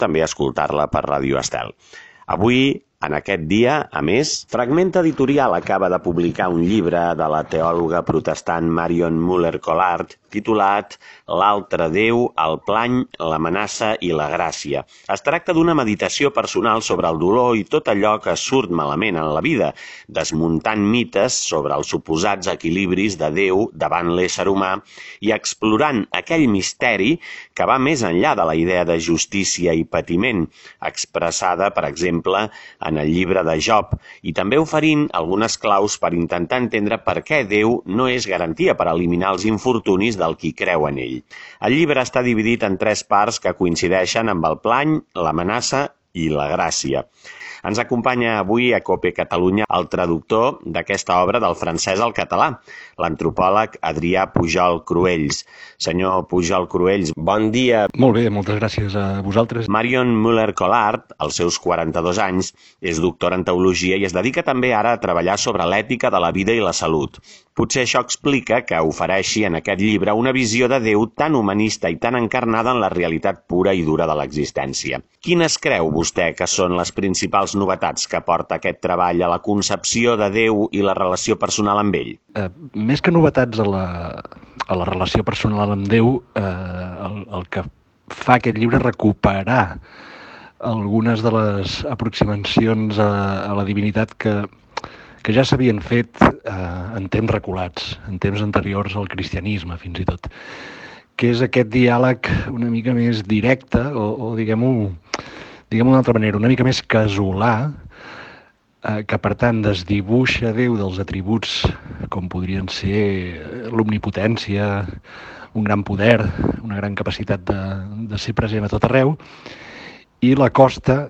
també escoltar-la per Ràdio Estel. Avui, en aquest dia, a més, Fragment Editorial acaba de publicar un llibre de la teòloga protestant Marion Muller-Collard titulat L'altre Déu, el plany, l'amenaça i la gràcia. Es tracta d'una meditació personal sobre el dolor i tot allò que surt malament en la vida, desmuntant mites sobre els suposats equilibris de Déu davant l'ésser humà i explorant aquell misteri que va més enllà de la idea de justícia i patiment, expressada, per exemple, en el llibre de Job, i també oferint algunes claus per intentar entendre per què Déu no és garantia per eliminar els infortunis del qui creu en ell. El llibre està dividit en 3 parts que coincideixen amb el plany, l'amenaça i la gràcia. Ens acompanya avui a COPE Catalunya el traductor d'aquesta obra del francès al català, l'antropòleg Adrià Pujol Cruells. Senyor Pujol Cruells, bon dia. Molt bé, moltes gràcies a vosaltres. Marion Muller-Collard, als seus 42 anys, és doctora en teologia i es dedica també ara a treballar sobre l'ètica de la vida i la salut. Potser això explica que ofereixi en aquest llibre una visió de Déu tan humanista i tan encarnada en la realitat pura i dura de l'existència. Quines creu vostè que són les principals novetats que porta aquest treball a la concepció de Déu i la relació personal amb ell? Més que novetats a la relació personal amb Déu, el que fa aquest llibre és recuperar algunes de les aproximacions a la divinitat que ja s'havien fet en temps reculats, en temps anteriors al cristianisme, fins i tot, que és aquest diàleg una mica més directe, o diguem-ho d'una altra manera, una mica més casolà, que per tant desdibuixa Déu dels atributs com podrien ser l'omnipotència, un gran poder, una gran capacitat de ser present a tot arreu, i l'acosta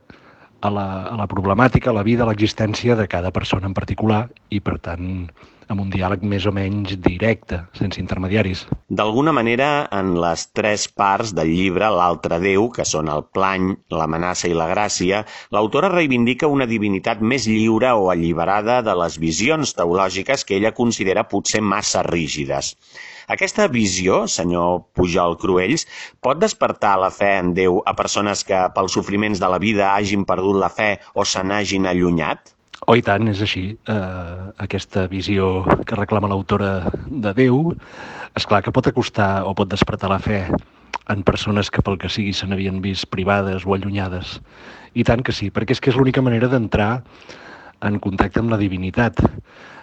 a la problemàtica, a la vida, a l'existència de cada persona en particular i, per tant, amb un diàleg més o menys directe, sense intermediaris. D'alguna manera, en les 3 parts del llibre L'altre Déu, que són el plany, l'amenaça i la gràcia, l'autora reivindica una divinitat més lliure o alliberada de les visions teològiques que ella considera potser massa rígides. Aquesta visió, senyor Pujol Cruells, pot despertar la fe en Déu a persones que pels sofriments de la vida hagin perdut la fe o se n'hagin allunyat? Oh, i tant, és així. Aquesta visió que reclama l'autora de Déu, esclar que pot acostar o pot despertar la fe en persones que pel que sigui se n'havien vist privades o allunyades. I tant que sí, perquè és que és l'única manera d'entrar en contacte amb la divinitat.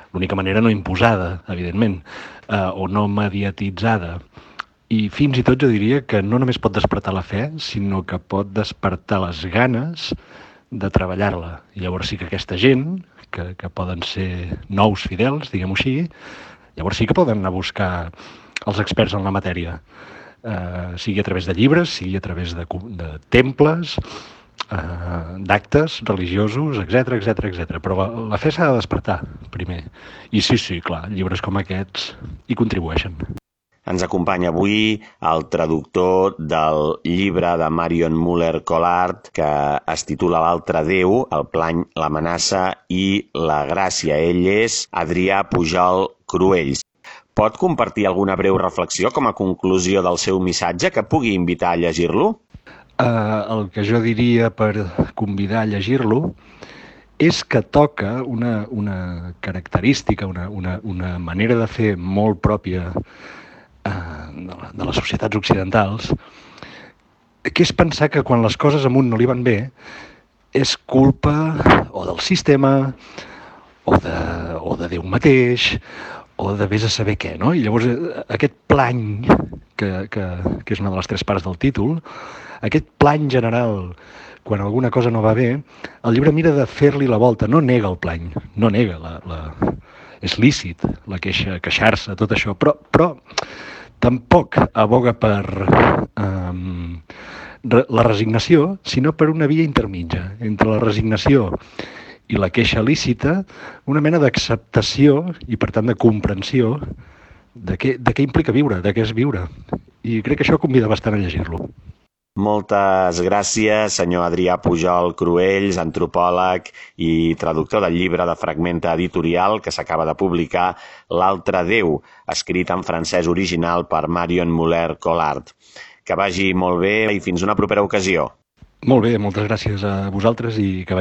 L'única manera no imposada, evidentment, o no mediatitzada. I fins i tot jo diria que no només pot despertar la fe, sinó que pot despertar les ganes de treballar-la. I llavors sí que aquesta gent, que poden ser nous fidels, diguem-ho així, llavors sí que poden anar a buscar els experts en la matèria, sigui a través de llibres, sigui a través de temples, d'actes religiosos, etc. Però la fe s'ha de despertar primer. I sí, clar, llibres com aquests hi contribueixen. Ens acompanya avui el traductor del llibre de Marion Muller-Collard que es titula L'altre Déu, el plany, l'amenaça i la gràcia. Ell és Adrià Pujol Cruells. Pot compartir alguna breu reflexió com a conclusió del seu missatge que pugui invitar a llegir-lo? El que jo diria per convidar a llegir-lo és que toca una característica, una manera de fer molt pròpia de les societats occidentals, que és pensar que quan les coses a un no li van bé és culpa o del sistema o de Déu mateix o de vés a saber què, no? I llavors aquest plany, que és una de les 3 parts del títol, aquest plany general, quan alguna cosa no va bé, el llibre mira de fer-li la volta, no nega el plany, no nega, és lícit la queixa, queixar-se, tot això, però tampoc aboga per la resignació, sinó per una via intermitja, entre la resignació i la queixa lícita, una mena d'acceptació i, per tant, de comprensió de què implica viure, de què és viure. I crec que això convida bastant a llegir-lo. Moltes gràcies, senyor Adrià Pujol Cruells, antropòleg i traductor del llibre de Fragment Editorial que s'acaba de publicar L'altre Déu, escrit en francès original per Marion Muller-Collard. Que vagi molt bé i fins una propera ocasió. Molt bé, moltes gràcies a vosaltres i que vagi